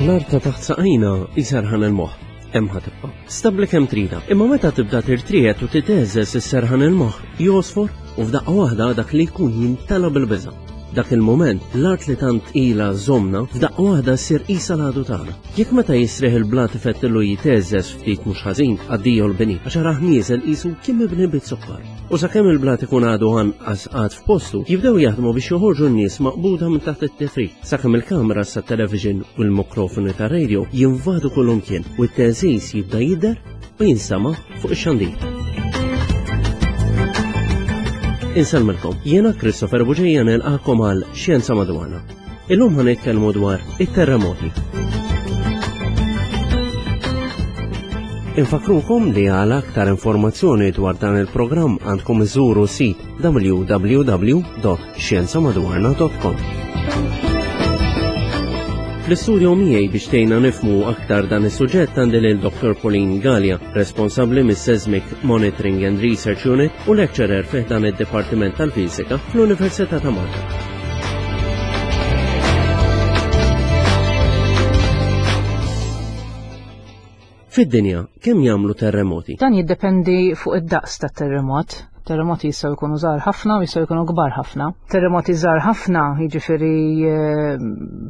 L-art ta' taħt saqajna jserħan il-moħħ. Hemm ħa tibqa'. Stabbli kemm tridha. Imma meta tibda tirtriegħed u titeżeż is-serħan il-moħħ josfor u f'daqqa waħda dak li jkun jimtela bil-biża'. Dak il-mument, l-art li tant ilha żżommna, f'daqqa waħda ssir qisha l-għadu tagħna. Jekk meta jisriħ il-blat ifettillu jiteżeż ftit mhux ħażin, addio l-bini, għax arah nieżel qisu kien mibni biz-zokkor. U sakemm il-blat ikun għadu anqas qagħad f'postu, jibdew jaħdmu biex joħorġu n-nies maqbuda minn taħt it-tifrik, sakemm il-kameras tat-television u l-mikrofoni tar-radio jinvadu kullumkien u t-teżiż jibda jidher u jinstama' fuq ix-xandir. Insellmilkom, jiena Christopher Buġeja nilqakom għal Xjenza Madwarna. Illum ħa nitkellmu dwar it-terremoti. Infakrukom li għal aktar informazzjoni dwar dan il-programm għandkom iżuru sit www.xjenzamadwarna.com. Fl-istudio miegħi biex tgħinna nifmu aktar dan is-suġġett għandi lil Dr. Pauline Galea, responsabbli mis-Seismic Monitoring and Research Unit u lecturer fih dan id-Dipartiment tal-Fiżika fl-Università ta' Malta. Fid-dinja, kemm jagħmlu terremoti? Dan jiddependi fuq id-daqs tat-terremot. Terremoti jistgħu jkunu żgħar ħafna u jistgħu jkunu kbar ħafna. Terremoti żgħar ħafna, jiġifieri eh,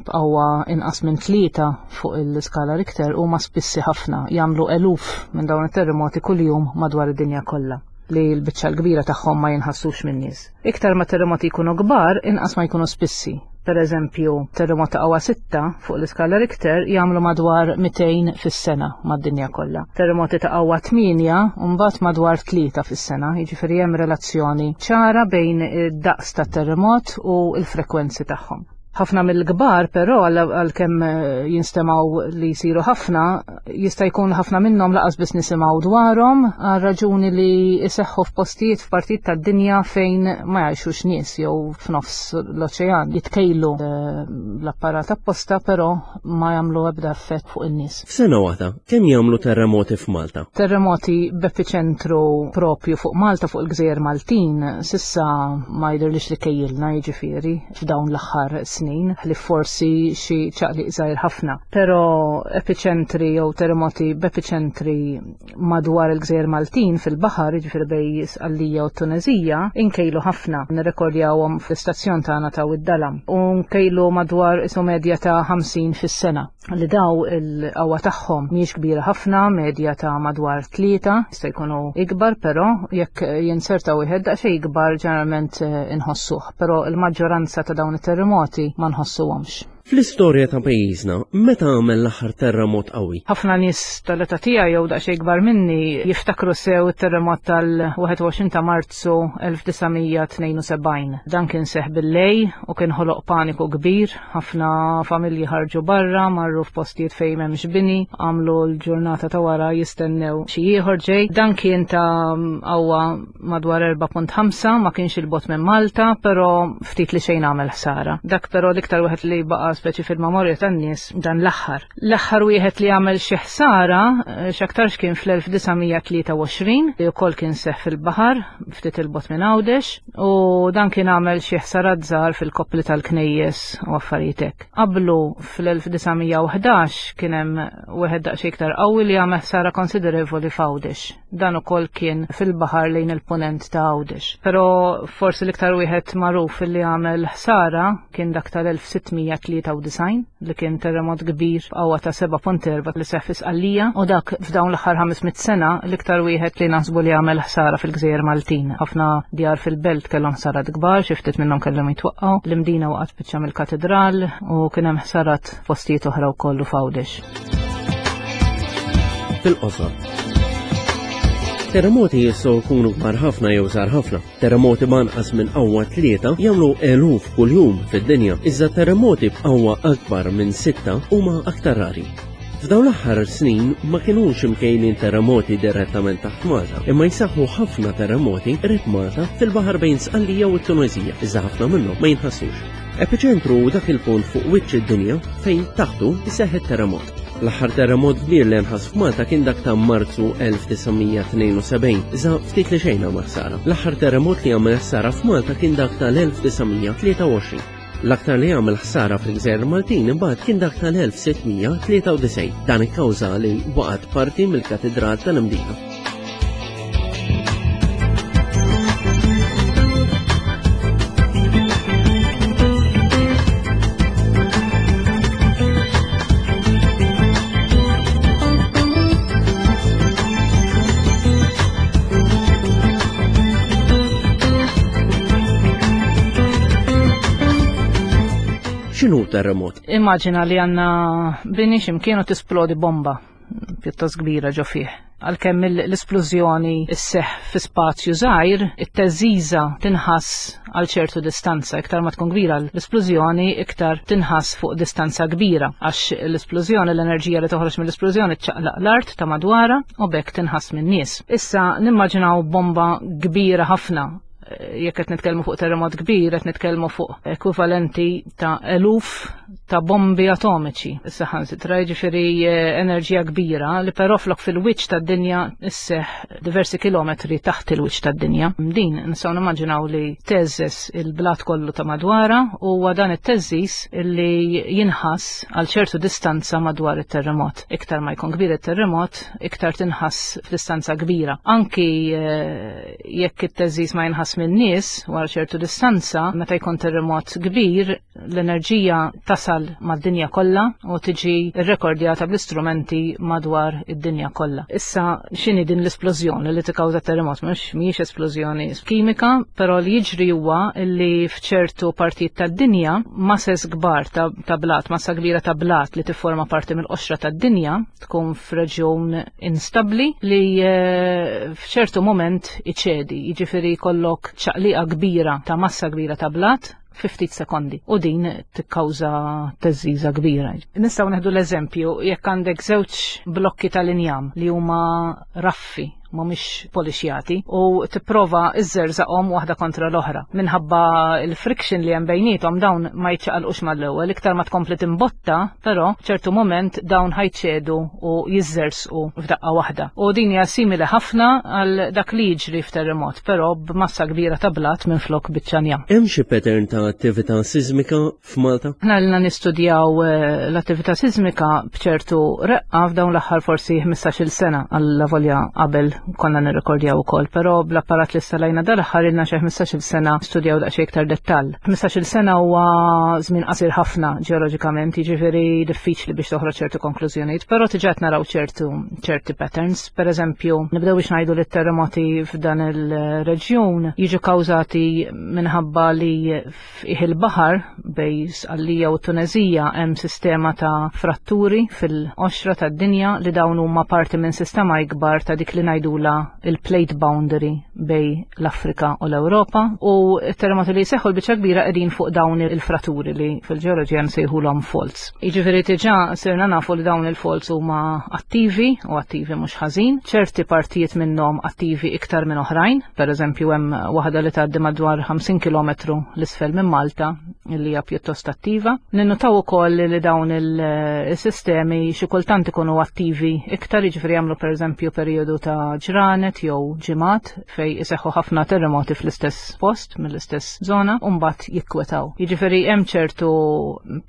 b'qawwa inqas minn tlieta fuq il-skala Richter huma spissi ħafna, jagħmlu eluf minn dawn it-terremoti kuljum madwar id-dinja kollha li l-biċċa l-kbira tagħhom ma jinħassux min-nies. Iktar ma terremoti jkunu kbar, inqas ma jkunu spissi. Per eżempju, terremot ta' qawwa 6 fuq l-iskala Richter jagħmlu madwar 200 fis-sena mad-dinja kollha. Terremoti ta' qawwa 8 mbagħad madwar 3 fis-sena, jiġifieri hemm relazzjoni ċara bejn id-daqs tat-terremot u l-frekwenzi tagħhom. Ħafna mill-kbar però għalkemm eh, jinstemgħu li jsiru ħafna, jista' jkun ħafna minnhom laqas biss nisimgħu dwarhom għal raġuni li jseħħu f'postijiet f'partijiet tad-dinja fejn ma jgħixux nies jew f'nofs l-oċean jitkejlu eh, l-apparat apposta però ma jagħmlu ebda effett fuq in-nies. F'sena waħda, kemm jagħmlu terremoti f'Malta? Terremoti b'epiċentru propju fuq Malta fuq il-Gżejjer Maltin sissa ma jidhirlix li kejjilna jiġifieri f'dawn l-aħħar snin, ħlief forsi xi ċaqliq żgħir ħafna. Però epiċentri jew terremoti b'epiċentri madwar il-Gżejjer Maltin fil-baħar, jiġifieri bej Sqallija u Tuneżija, inkejlu ħafna. Nirrekordjawhom fl-istazzjon tagħna ta' Wid-Dalam u nkejlu madwar isu medja ta' 50 fis-sena. li daw il-qawwa tagħhom mhijiex kbira ħafna, medja ta' madwar tlieta, jista' jkunu ikbar però jekk jinserta wieħed daqsxejn ikbar ġeneralment eh, inħossuh, però il-maġġoranza ta' dawn it-terremoti ma nħossuhomx. Fl-istorja ta' pajjiżna, meta għamel l-aħħar terremot qawwi? Ħafna nies tal-età tiegħi jew daqsxejn ikbar minni jiftakru sew it-terremot tal-21 ta' Marzu 1972. Dan kien seħ bil-lej u kien ħoloq paniku kbir Ħafna familji ħarġu barra, marru f'postijiet fejn m'hemmx bini, għamlu l-ġurnata ta' wara jistennew xi ieħor ġej. Dan kien ta' qawwa madwar 4.5, ma kienx il-bot minn Malta, però ftit li xejn għamel ħsara. Dak però l-iktar wieħed li baqa' speċi fil-memorja tan-nies dan l-aħħar. L-aħħar wieħed li għamel xi ħsara eh, x'aktarx kien fl-1923 li wkoll kien seħ fil-baħar ftit il-bot minn Għawdex. U dan kien għamel xi ħsarat żgħar fil-koppli tal-knejjes u affarijiet hekk. Qablu fl-1911 kien hemm wieħed daqsxejn iktar qawwi li għamel ħsara konsiderevoli f'Għawdex. Dan ukoll kien fil-baħar lejn il-punent ta' Għawdex. Però forsi l-iktar wieħed magħruf li għamel ħsara kien dak tal-1693 li kien terremot kbir b'qawwa ta' 7.4 li seħħ fi Sqallija u dak f'dawn l-aħħar 500 sena l-iktar wieħed li naħsbu li għamel ħsara fil-Gżejjer Maltin. Ħafna djar fil-belt kellhom ħsarat kbar, xi ftit minnhom kellhom jitwaqqgħu, l-Imdina waqgħet biċċa mill-katedral u kien hemm ħsarat postijiet oħra wkoll u f'Għawdex. Fil-qosor. Terremoti jistgħu jkunu kbar ħafna jew żgħar ħafna. Terremoti b'anqas minn qawwa tlieta jagħmlu eluf kuljum fid-dinja, iżda terremoti b'qawwa akbar minn sitta huma aktar rari. F'dawn l-aħħar snin ma kinux imkejlin terremoti direttament taħt Malta, imma jsaħħu ħafna terremoti qrib Malta fil-baħar bejn Sqallija u t-Tuneżija, iżda ħafna minnhom ma jinħassux. Epiċentru hu dak il-punt fuq wiċċ id-dinja fejn taħtu jseħħ it-terremot. L-aħħar terremot kbir li nħass f'Malta kien dak ta' Marzu 1972, iżda ftit li xejn għamel ħsara. L-aħħar terremot li għamel ħsara f'Malta kien dak tal-1923. L-aktar li għamel ħsara fil-Gżejjer Maltin imbagħad kien dak tal-1693. Dan ikkawża li waqgħet parti mill-Katidral tal-Imdina. X'inhu terremot? Immaġina li għandna bini x'imkien u tisplodi bomba pjuttost kbira ġo fih. Għalkemm l-isplużjoni sseħħ fi spazju żgħir, it-teżżiża tinħass għal ċertu distanza. Iktar ma tkun kbira l-isplużjoni, iktar tinħass fuq distanza kbira. Għax l-isplużjoni, l-enerġija li toħroġ mill-isplużjoni ċċaqlaq l-art ta' madwarha u b'hekk tinħass min-nies. Issa nimmaġinaw bomba kbira ħafna jekk qed nitkellmu fuq terremot kbir, qed nitkellmu fuq ekwivalenti ta' eluf ta' bombi atomiċi. Saħansitra jiġifieri eh, enerġija kbira li però flok fil-wiċċ tad-dinja isseħ diversi kilometri taħt il-wiċċ tad-dinja. Din nistgħu nimmaġinaw li teżżes il-blat kollu ta' madwara u huwa dan it-teżżis li jinħass għal ċertu distanza madwar it-terremot. Iktar ma jkun kbir it-terremot, iktar tinħass f'distanza kbira. Anki eh, jekk it-teżżiż ma jinħass min-nies wara ċertu distanza, meta jkun terremot kbir, l-enerġija tasal mad-dinja kollha u tiġi rrekordjata bl-istrumenti madwar id-dinja kollha. Issa x'inhi din l-isplużjoni li tikkawża terremot? Mhux mhijiex esplużjoni kimika, però li jiġri huwa li f'ċertu partijiet tad-dinja mases kbar ta', ta blat, massa kbira ta' blat li tifforma parti mill-qoxra tad-dinja, tkun f'reġjun instabbli li eh, f'ċertu moment iċedi, jiġifieri jkollok ċaqliqa kbira ta' massa kbira ta' blat fi ftit sekondi u din tikkawża teżżiża kbira. Nistgħu neħdu l-eżempju jekk għandek żewġ blokki tal-injam li huma raffi mhumiex polixjati u tipprova iżżerżaqhom waħda kontra l-oħra. Minħabba il-friction li hemm bejniethom dawn ma jiċċaqalqux mal-ewwel, iktar ma tkompli timbotta, però ċertu moment dawn ħajċedu u jiżżersqu f'daqqa waħda. U din hija simili ħafna għal dak li jiġri f'terremot, però b'massa kbira ta' blat minflok biċċa njam. Hemm xi pattern ta' attività sismika f'Malta? Aħna ilna nistudjaw eh, l-attività sismika b'ċertu reqqa f'dawn l-aħħar forsi 15-il sena għalla volja qabel konna nirrekordjaw ukoll, però bl-apparat li stalajna dal-aħħar ilna xi 15-il sena studjaw daqsxejn iktar dettall. 15-il sena huwa żmien qasir ħafna ġeoloġikament, jiġifieri diffiċli biex toħroġ ċertu konklużjonijiet, però diġà qed naraw ċertu ċerti patterns. Per eżempju, nibdew biex ngħidu li t-terremoti f'dan il-reġjun jiġu kawżati minħabba li F'qiegħ il-baħar bejn Sqallija u Tuneżija hemm sistema ta' fratturi fil-qoxra tad-dinja li dawn huma parti minn sistema ikbar ta' dik li ngħidulha il-plate boundary bejn l-Afrika u l-Ewropa u t-terremoti li jseħħu l-biċċa kbira qegħdin fuq dawn il-fratturi li fil-ġeoloġija nsejħulhom faults. Jiġifieri diġà sirna nafu li dawn il-faults huma attivi u attivi mhux ħażin, ċerti partijiet minnhom attivi iktar minn oħrajn. Per eżempju, hemm waħda li tgħaddi madwar 50 km l-isfel minn Malta li hija pjuttost attiva. Ninnutaw ukoll li dawn il-sistemi xi kultant ikunu attivi iktar, jiġifieri jagħmlu pereżempju perjodu ta' ġranet jew ġimgħat fej iseħħu ħafna terremoti fl-istess post mill-istess żona u mbagħad jikkwetaw. Jiġifieri hemm ċertu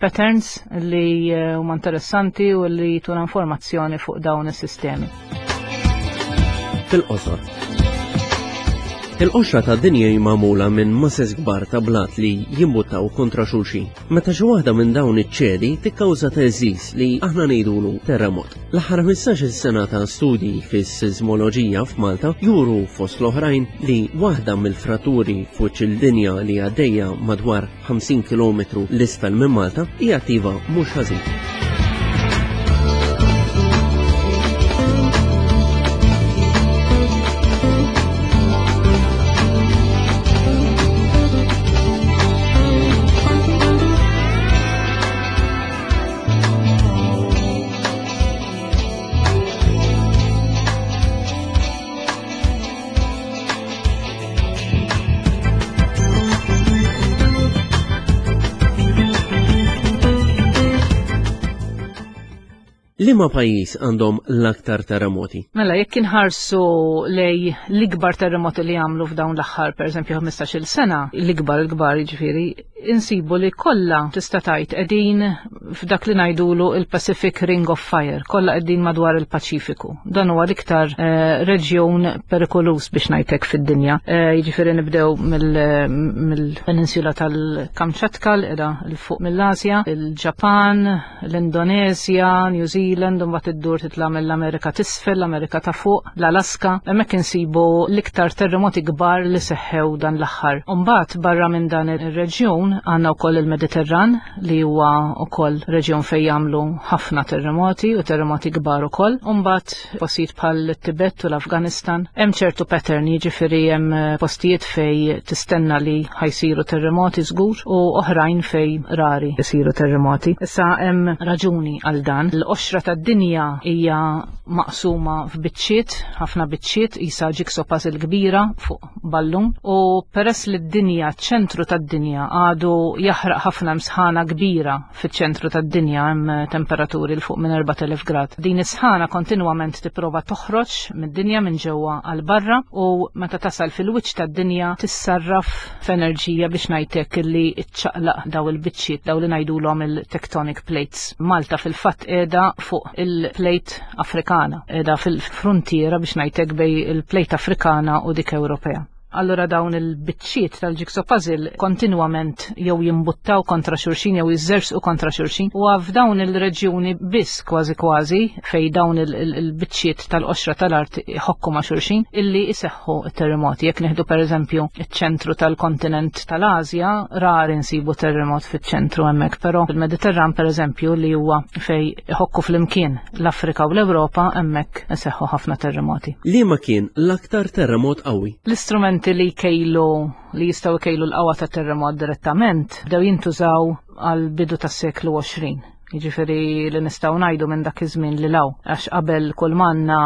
patterns li huma interessanti u li jtuna informazzjoni fuq dawn is-sistemi. Fil-qosor. Il-qoxra ta' dinja hi magħmula minn masses kbar ta' blat li jimbuttaw kontra xulxin. Meta xi waħda minn dawn iċ-ċedi tikkawża teżżiż li aħna ngħidulu terremot. L-aħħar 15-il sena ta' studji fis-sismoloġija f'Malta juru fost l-oħrajn li waħda mill-fratturi fuq il-dinja li għaddejja madwar 50 km l-isfel minn Malta hija attiva mhux ħażin. Liema pajjiż għandhom l-aktar terremoti? Mela, jekk inħarsu lej l-ikbar terremoti li għamlu f'dawn l-aħħar, pereżempju 15-il sena, l-ikbar l-kbar jiġifieri, insibu li kollha tista' tgħid qegħdin f'dak li ngħidulu il-Pacific Ring of Fire, kollha qegħdin madwar il-Paċifiku. Dan huwa l-iktar eh, reġjun perikolus biex ngħidlek fid-dinja. Eh, jiġifieri nibdew mill-peninsula tal-Kamċatka l qiegħda l fuq mill-Asja, il-Ġapan, l-Indonezja, New Zealand, u mbagħad iddur titla' mill-Amerika t'isfel, l-Amerika ta' fuq, l-Alaska. Hemmhekk insibu l-iktar terremoti kbar li seħħew dan l-aħħar. U mbagħad barra minn dan ir-reġjun għandna wkoll il-Mediterran li huwa wkoll reġjun fejn jagħmlu ħafna terremoti u terremoti kbar ukoll. U mbagħad postijiet bħal Tibet u l-Afganistan. Hemm ċertu pattern, jiġifieri hemm eh, postijiet fej tistenna li ħajsiru terremoti żgur u oħrajn fej rari jsiru terremoti. Issa hemm raġuni għal dan. L-qoxra tad-dinja hija maqsuma f'biċċiet, ħafna biċċiet, isa jigsaw puzzle kbira fuq ballun u peress li d-dinja, ċentru tad-dinja għadu jaħraq ħafna msħana kbira fiċ-ċentru tad-dinja hemm temperaturi l fuq minn 4000 grad. Din is-sħana kontinwament tipprova toħroġ mid-dinja minn ġewwa għal barra u meta tasal fil-wiċċ tad-dinja tissarraf f'enerġija biex ngħidlek li ċċaqlaq daw il-biċċiet daw li ngħidulhom il-tectonic plates. Malta fil-fatt qiegħda fuq il-plate Afrikana, qiegħda fil-frontiera biex ngħidlek bej il-plate Afrikana u dik Ewropea. Allura dawn il-biċċiet tal-jigsaw puzzle kontinwament jew jimbuttaw kontra xulxin jew jiżżersqu kontra xulxin u f'dawn il-reġjuni biss kważi kważi fej dawn il-biċċiet tal-qoxra tal-art iħokku ma' xulxin illi iseħħu terremoti. Jekk nieħdu pereżempju iċ-ċentru tal-kontinent tal-Asja, rari nsibu terremot fiċ-ċentru hemmhekk, però fil-Mediterran pereżempju li huwa fej iħokku flimkien l-Afrika u l-Ewropa hemmhekk iseħħu ħafna terremoti. Liema kien l-aktar terremot qawwi? L-istrumenti li jkejlu li jistgħu jkejlu l-qawwa ta' terremot direttament bdew jintużaw għal bidu tas-seklu 20. Jiġifieri li nistgħu ngħidu minn dak iż-żmien li law għax qabel kull manna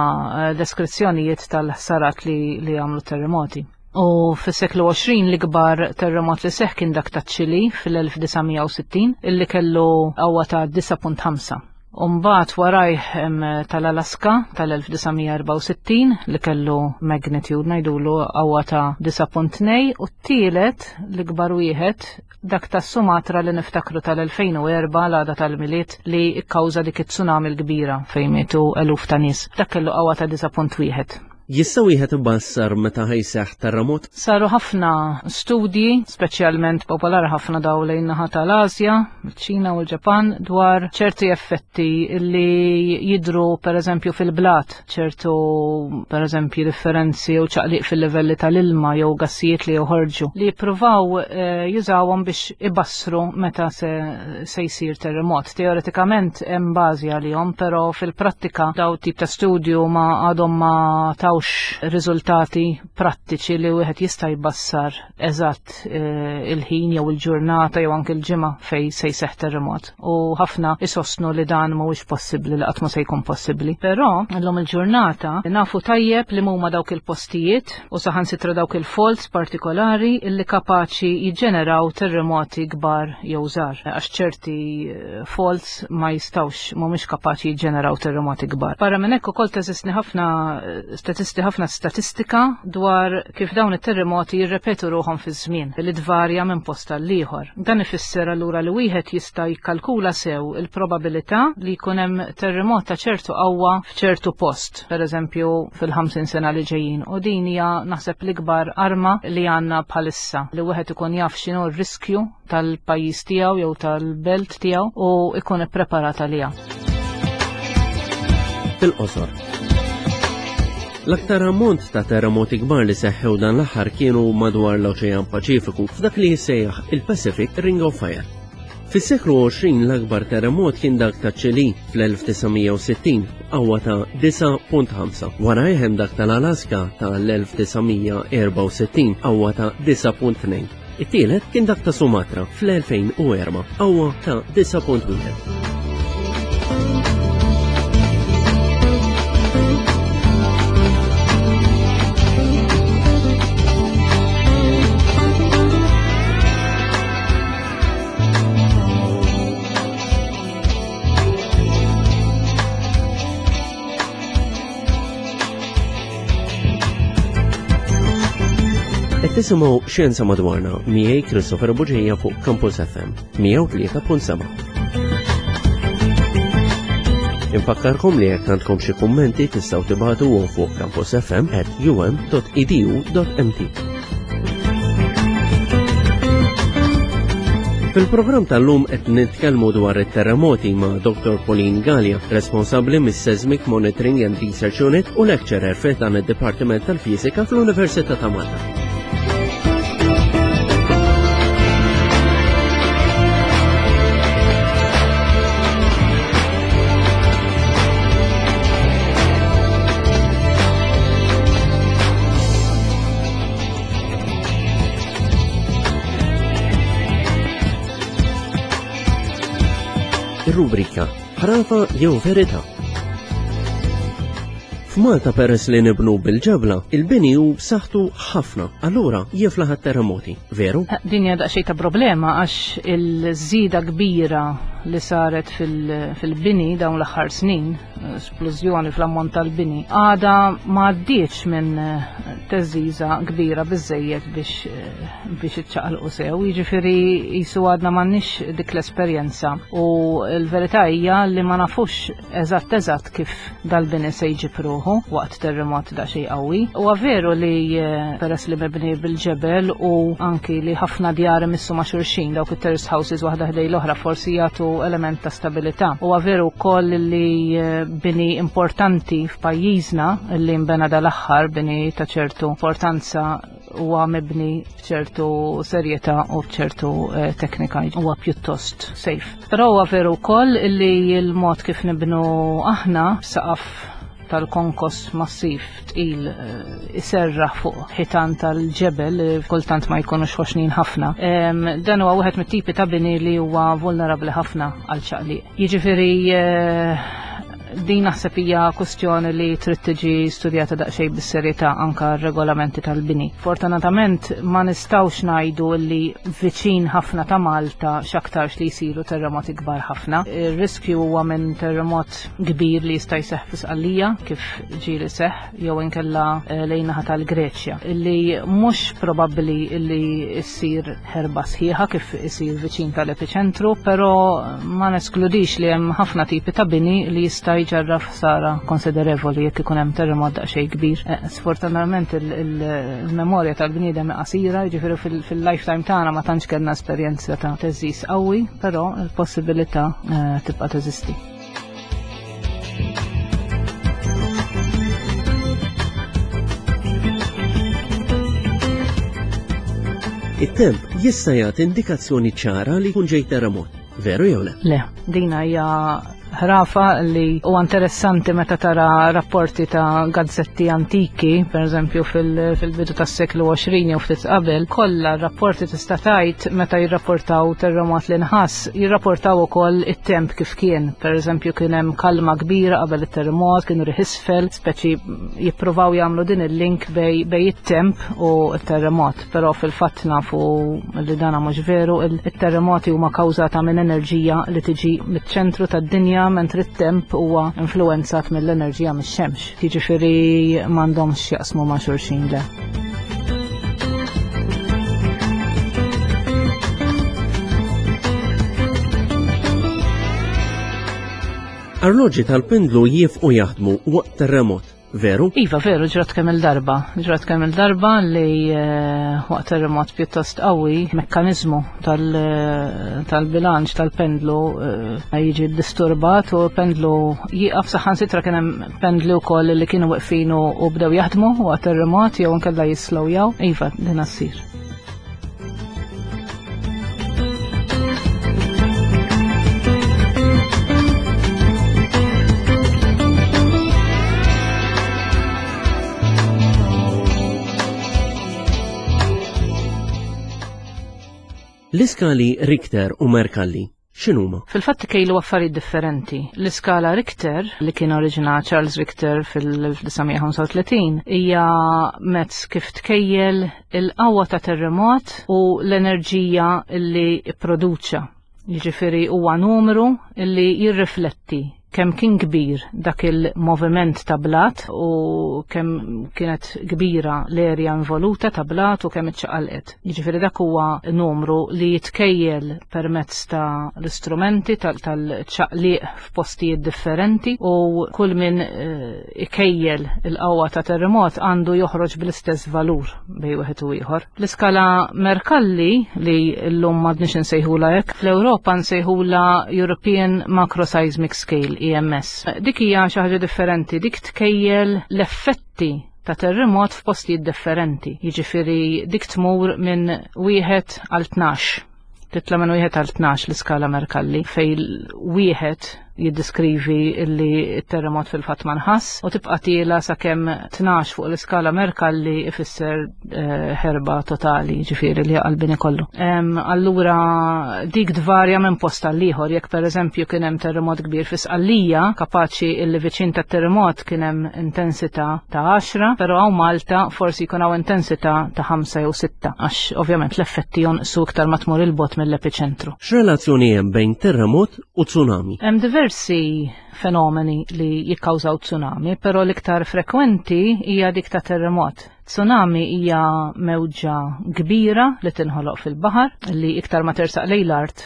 eh, deskrizzjonijiet tal-ħsarat li, li għamlu terremoti. U fis-seklu 20 l-ikbar terremot li seħ kien dak ta' Ċili fil-1960 illi kellu qawwa ta' 9.5. Umbagħad warajh hemm tal-Alaska tal-1964 li kellu magnitude ngħidulu qawwa ta' 9.2 u t-tielet l-ikbar wieħed dak ta' Sumatra li niftakru tal-2004 l-għada tal-Milied li kkawża dik it-tsunami l-kbira fejn mietu eluf ta' nies. Dak kellu qawwa ta' 9.1. Jista' wieħed ibassar meta ħajseħ terremot? Saru ħafna studji, speċjalment popolari ħafna daw lejn naħa tal-Asja, ċ-Ċina u l-Ġapan, dwar ċerti effetti li jidru pereżempju fil-blat, ċertu pereżempju differenzi jew ċaqliq fil-livelli tal-ilma jew gassijiet li joħorġu li jippruvaw eh, jużawhom biex ibassru meta se, se jsir terremot. Teoretikament hemm bażi għalihom, però fil-prattika daw tip ta' studju ma għadhom ma tawx riżultati prattiċi li wieħed jista' jbassar eżatt eh, il-ħin jew il-ġurnata jew anke l-ġimgħa fej se jseħħ terremot. U ħafna isostnu li dan mhuwiex possibbli li qatt ma se jkun possibbli. Però llum il-ġurnata nafu tajjeb li huma dawk il-postijiet u saħansitra dawk il-faults partikolari illi kapaċi jiġġeneraw terremoti kbar jew żgħar għax ċerti eh, faults ma jistawx mhumiex kapaċi jiġġeneraw terremoti kbar. Barra minn hekk ukoll teżisti ħafna statisti ħafna statistika dwar kif dawn it-terremoti jirrepetu ruħhom fiż-żmien li tvarja minn post għal ieħor. Dan ifisser allura li wieħed jista' jikkalkula sew il-probabilità li jkun hemm terremot ta' ċertu qawwa f'ċertu post, pereżempju fil-50 sena li ġejjin. U din hija naħseb l-ikbar arma li għandna bħalissa li wieħed ikun jaf x'inhu r-riskju tal-pajjiż tiegħu jew tal-belt tiegħu u ikun ippreparat għaliha. Fil-qosor. L-aktar ammont ta' terremoti kbar li seħħew dan l-aħħar kienu madwar l-Oċean Paċifiku f'dak li jissejjaħ il-Pacific Ring of Fire. Fis-seklu 20 l-akbar terremot kien dak ta' Ċili fl-1960 qawwa ta' 9.5. Wara hemm dak tal-Alaska tal-1964 qawwa ta' 9.2. It-tielet kien dak ta' Sumatra fl-2004 qawwa ta' 9.1. Qed tisimgħu Xjenza Madwarna miegħi Christopher Buġija fuq Campus FM 103.7. Infakkarkom li jekk għandkom xi kummenti tistgħu tibagħtuhom fuq campusfm@um.edu.mt. Fil-programm tal-lum qed nitkellmu dwar it-terremoti ma' Dr. Pauline Gallia, responsabbli mis-Seismic Monitoring and Research Unit u lecturer fi dan id-Dipartiment tal-Fiżika fl-Università ta' Malta. Ir-rubrika Ħrafa jew Verità. F'Malta peress li nibnu bil-ġebla, il-bini hu b'saħħtu ħafna, allura jiflaħ terremoti, veru? Eh, din hija daqsxejn ta' problema għax il-żieda kbira li saret fil-bini dawn l-aħħar snin, splużjoni fl-ammont tal-bini, għada ma għaddietx minn eh, teżiża kbira biżejjed biex eh, biex iċċaqalqu sew, jiġifieri jisu għadna m'għandniex dik l-esperjenza u l-verità hija li ma nafux eżatt eżatt kif dal-bini se jġib ruħu waqt terremot da xej qawwi. Huwa veru li eh, peress li mebni bil-ġebel u anki li ħafna djar imissu ma' xulxin dawk it-terrace houses waħda ħdej l-oħra forsi jagħtu element ta' stabilità. Huwa veru wkoll li eh, bini importanti f'pajjiżna li nbena dal-aħħar bini ta' ċertu importanza huwa mibni b'ċertu serjetà u b'ċertu eh, teknika huwa pjuttost safe. Però huwa veru wkoll li l-mod kif nibnu aħna saqaf tal-konkos massiv tqil eh, iserraħ fuq ħitan tal-ġebel eh, kultant ma jkunux ħoxnin ħafna. Dan huwa wieħed mit-tipi ta' bini li huwa vulnerabbli ħafna għal ċaqliq. Jiġifieri eh, din naħseb hija kwestjoni li trid tiġi studjata daqsxejn bis-serjetà anka r-regolamenti tal-bini. Fortunatament ma nistgħux ngħidu li viċin ħafna ta' Malta x'aktarx li jsiru terremoti kbar ħafna. Ir-riskju huwa minn terremot kbir li jista' jseħħ fi Sqallija kif ġieli seħħ jew inkella eh, lejn naħa tal-Greċja li mhux probabbli li ssir ħerba sħiħa kif isir viċin tal-epiċentru, però ma neskludix li hemm ħafna tipi ta' bini li jista' jġarraf ħsara konsiderevoli jekk ikun hemm terremot daqsxejn kbir. Eh, sfortunatament il-memorja tal-bniedem qasira, jiġifieri fil-lifetime tagħna ma tantx kellna esperjenza ta' teżis qawwi, però l-possibilità eh, tibqa' teżisti. It-temp jista' jagħti indikazzjoni ċara li jkun ġej terremot. Veru jew le? Le, dina hija ħrafa li huwa interessanti meta tara rapporti ta' gazzetti antiki, per eżempju fil-bidu tas-seklu 20 jew ftit qabel, kollha rapporti tista' tgħid meta jirrapportaw terremot li nħass jirrapportaw ukoll it-temp kif kien. Per eżempju kien hemm kalma kbira qabel it-terremot, kienu riħ isfel, speċi jippruvaw jagħmlu din il-link bej, bej it-temp u t-terremot, però fil-fatt nafu li dana mhux veru, it-terremoti huma kawżata minn enerġija li tiġi miċ-ċentru tad-dinja mentri it-temp huwa influenzat mill-enerġija mix-xemx. Jiġifieri m'għandhomx jaqsmu ma' xulxin le. Arloġġi tal-pendlu jifqu jaħdmu waqt terremot. Veru? Iva, veru, ġrat kemm il-darba. Ġrat kemm il-darba li eh, waqt terremot pjuttost qawwi, mekkanizmu eh, tal-bilanċ tal-pendlu eh, jiġi disturbat u pendlu jieqaf saħansitra kien hemm pendli wkoll li kienu weqfin u bdew jaħdmu waqt terremot jew inkella jislowjaw. Iva, din assir. L-iskali Richter u Mercalli x'inhuma? Fil-fatt ikejlu affarijiet differenti. L-iskala Richter, li kien oriġina Charles Richter fil-1935, hija mezz kif tkejjel il-qawwa ta' terremot u l-enerġija li pproduċa. Jiġifieri huwa numru li jirrifletti kemm kien kbir dak il-moviment ta' blat u kemm kienet kbira l-erja involuta ta' blat u kemm iċċaqalqet. Jiġifieri dak huwa numru li jitkejjel permezz ta' l-istrumenti tal-ċaqliq f'postijiet differenti u kull min eh, ikejjel il-qawwa ta' terremot għandu joħroġ bl-istess valur bej wieħed u ieħor. L-iskala Mercalli li llum m'għadniex insejħula hekk, fl-Ewropa nsejħula European Macroseismic Scale, EMS. Dik hija xi ħaġa differenti, dik tkejjel l-effetti ta' terremot f'postijiet differenti. Jiġifieri dik tmur minn wieħed għal 12. Titla' minn wieħed għal 12 l-iskala Mercalli fej wieħed jiddiskrivi li t-terremot fil-fatt ma nħass u tibqa' tiela sakemm 12 fuq l-iskala Mercalli ifisser eh, ħerba totali, ġifieri li qalbini kollu. Allura dik tvarja minn post għal ieħor, jekk pereżempju kien hemm terremot kbir fi Sqallija, kapaċi illi viċin tat-terremot kien hemm intensità ta' 10, però hawn Malta forsi jkun hawn intensità ta' 5 jew 6, għax ovvjament l-effetti jonqsu iktar ma tmur il-bot mill-epiċentru. X'relazzjoni hemm bejn terremot u tsunami? Hemm diversi fenomeni li jikkawżaw tsunami, però l-iktar frekwenti hija dik ta' terremot. Tsunami hija mewġa kbira li tinħoloq fil-baħar li iktar ma tersaq lejn l-art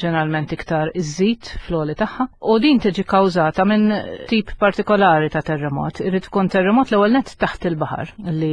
ġeneralment iktar iżżid fl-għoli tagħha. U din tiġi kawżata minn tip partikolari ta' terremot. Irid ikun terremot l-ewwel nett taħt il-baħar li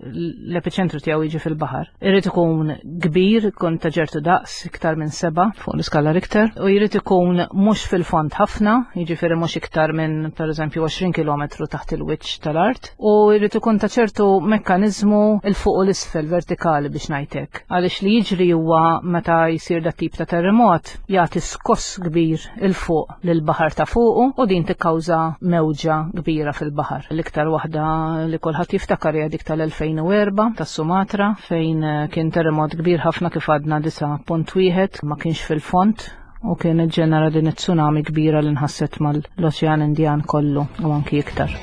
l-epiċentru tiegħu jiġi fil-baħar. Irid ikun kbir, ikun ta' ġertu daqs iktar minn seba' fuq l-iskala Richter, u jrid ikun mhux fil-fond ħafna, jiġifieri mhux iktar minn pereżempju 20 km taħt il-wiċċ tal-art, u jrid ikun ta' ċertu mekkaniżmu il fuq u l-isfel vertikali biex ngħidlek. Għaliex li jiġri huwa meta jsir dat tip ta' terremot jagħti skoss kbir il fuq lil baħar ta' fuqu u din tikkawża mewġa kbira fil-baħar. L-iktar waħda li kulħadd jiftakar hija dik tal-2004 tas-Sumatra fejn eh, kien terremot kbir ħafna kif għadna 9.1 ma kienx fil-fond u kien iġġenera din it-tsunami kbira li nħasset mal-Oċean Indjan kollu u anki iktar.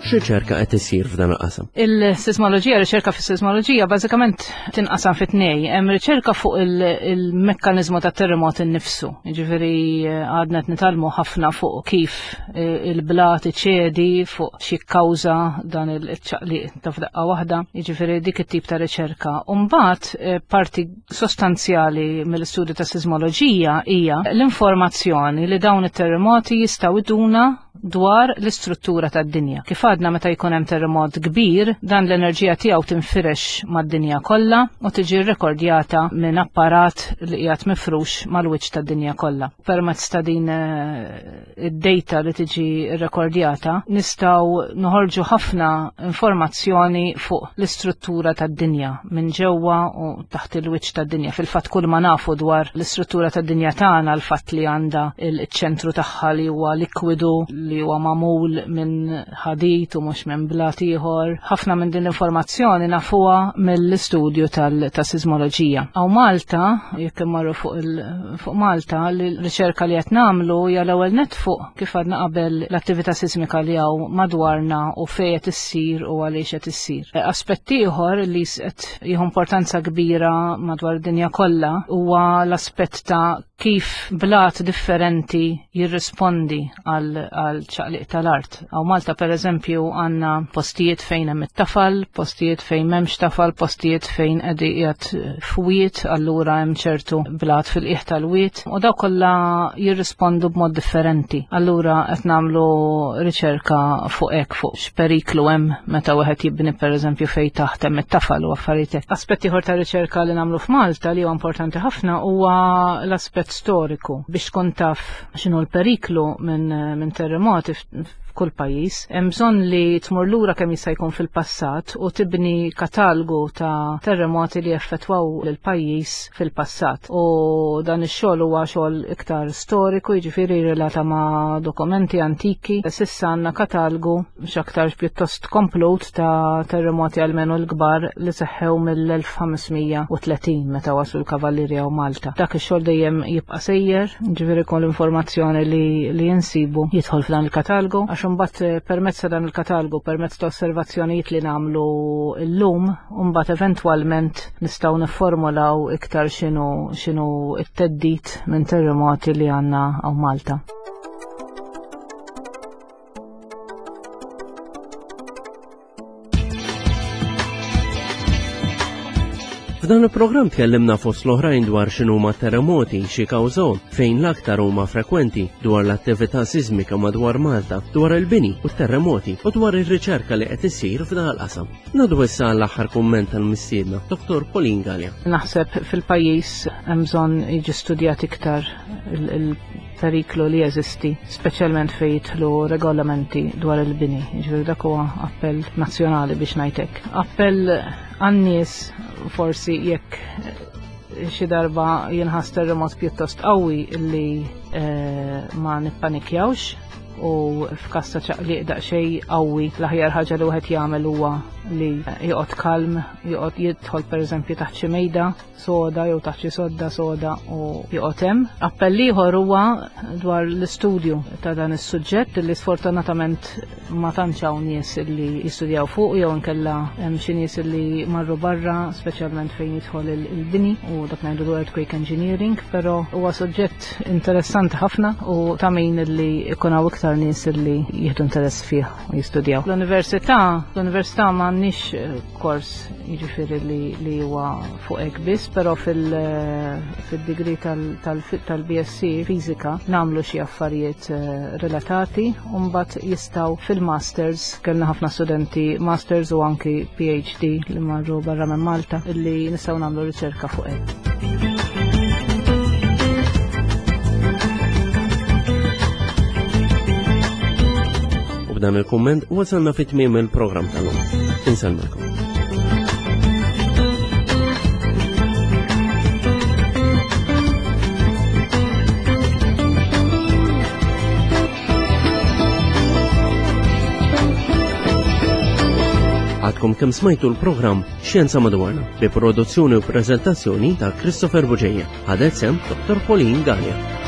X'riċerka qed isir f'dan il-qasam? Il-sismoloġija, riċerka fis-sismoloġija bażikament tinqasam fi tnej. Hemm riċerka fuq il-mekkaniżmu ta' terremot innifsu. Jiġifieri eh, għadna qed nitgħallmu ħafna fuq kif eh, il-blat iċedi fuq xi kkawża dan il-ċaqliq ta' f'daqqa waħda. Jiġifieri dik it-tip ta' riċerka. U mbagħad eh, parti sostanzjali mill-istudju ta' sismoloġija hija l-informazzjoni li dawn it-terremoti jistgħu iduna dwar l-istruttura tad-dinja. Kif għadna meta jkun hemm terremot kbir, dan l-enerġija tiegħu tinfirex mad-dinja kollha u tiġi rrekordjata minn apparat li qiegħed mifrux mal-wiċċ tad-dinja kollha. Permezz ta' din eh, id-data li tiġi rrekordjata, nistgħu noħorġu ħafna informazzjoni fuq l-istruttura tad-dinja minn ġewwa u taħt il-wiċċ tad-dinja. Fil-fatt kull ma nafu dwar l-istruttura tad-dinja tagħna, l-fatt li għandha il-ċentru tagħha li huwa likwidu, li huwa magħmul minn ħadid u mhux minn blat ieħor. Ħafna minn din l-informazzjoni nafuha mill-istudju tas-sismoloġija. Hawn Malta, jekk immorru fuq fuq Malta, l-riċerka li qed nagħmlu hija l-ewwel nett fuq kif għadna qabel l-attività sismika li hawn madwarna u fejn qed issir u għaliex qed issir. Aspett ieħor li qed jieħu importanza kbira madwar id-dinja kollha huwa l-aspett ta' kif blat differenti jirrispondi għal ċaqliq tal-art. Hawn Malta per eżempju għandna postijiet fejn hemm it-tafal, postijiet fejn m'hemmx tafal, postijiet fejn qed qiegħed fwiet, allura hemm ċertu blat fil-qiegħ tal-wiet u daw kollha jirrispondu b'mod differenti. Allura qed nagħmlu riċerka fuq hekk fuq x'periklu hemm meta wieħed jibni pereżempju fejn taħt hemm it-tafal u affarijiet hekk. Aspett ieħor ta' riċerka li nagħmlu f'Malta li huwa importanti ħafna huwa l-aspett storiku biex tkun taf x'inhu l-periklu minn min terremoti. f'kull pajjiż. Hemm bżonn li tmur lura kemm jista' jkun fil-passat u tibni katalgu ta' terremoti li effettwaw lill-pajjiż fil-passat. U dan ix-xogħol huwa xogħol iktar storiku, jiġifieri relata ma' dokumenti antiki. Sissa għandna katalgu x'aktarx pjuttost komplut ta' terremoti almenu l-kbar li seħħew mill-1530 meta waslu l-Kavallieri hawn Malta. Dak ix-xogħol dejjem jibqa' sejjer, ġifieri kull informazzjoni li, li jinsibu jidħol f'dan il-katalgu, għax imbagħad eh, permezz ta' dan il-katalgu, permezz ta' osservazzjonijiet li nagħmlu llum, mbagħad eventwalment nistgħu nifformulaw iktar x'inhu x'inhu t-teddid minn terremoti li għandna hawn Malta. F'dan il-programm tkellimna fost l-oħrajn dwar x'inhuma terremoti, xi kawżahom, fejn l-aktar huma frekwenti, dwar l-attività sismika madwar Malta, dwar il-bini u t-terremoti u dwar ir-riċerka li qed issir f'dan il-qasam. Nadu issa għall-aħħar kumment tal-mistiedna, Dr. Pauline Galea. Naħseb fil-pajjiż hemm bżonn jiġi studjat iktar il-periklu li jeżisti, speċjalment fejn jidħlu regolamenti dwar il-bini. Jiġifieri dak huwa appell nazzjonali biex ngħid hekk. Appell għan-nies forsi jekk xi darba jinħass terremot pjuttost qawwi li eh, ma nippanikjawx u f'każ ta' ċaqliq daqsxejn qawwi l-aħjar ħaġa li wieħed jagħmel huwa li joqgħod kalm, joqgħod jidħol pereżempju taħt xi mejda soda jew taħt xi sodda soda u joqgħod hemm. Appell ieħor huwa dwar l-istudju ta' dan is-suġġett li sfortunatament ma tantx hawn nies li jistudjaw fuq jew inkella hemm xi nies li marru barra speċjalment fejn jidħol il-bini u dak ngħidu earthquake engineering, però huwa suġġett interessanti ħafna u ta' min li jkun hawn iktar nies li jieħdu interess fih u jistudjaw. L-università, l-università m'għandniex kors jiġifieri li, li huwa fuq hekk biss, però fil-degree tal-BSc fiżika nagħmlu xi affarijiet eh, relatati u mbagħad jistgħu fil-masters kellna ħafna studenti masters u anki PhD li marru barra minn Malta li nistgħu nagħmlu riċerka fuq hekk. U b'dan il-kumment wasalna fit tmiem il-programm tal-lum. Insellmilkom. Għadkom kemm smajtu l-programm Xjenza Madwarna bi produzzjoni u prezentazzjoni ta' Christopher Buġeja. Ħadet sem Dr. Pauline Gallia.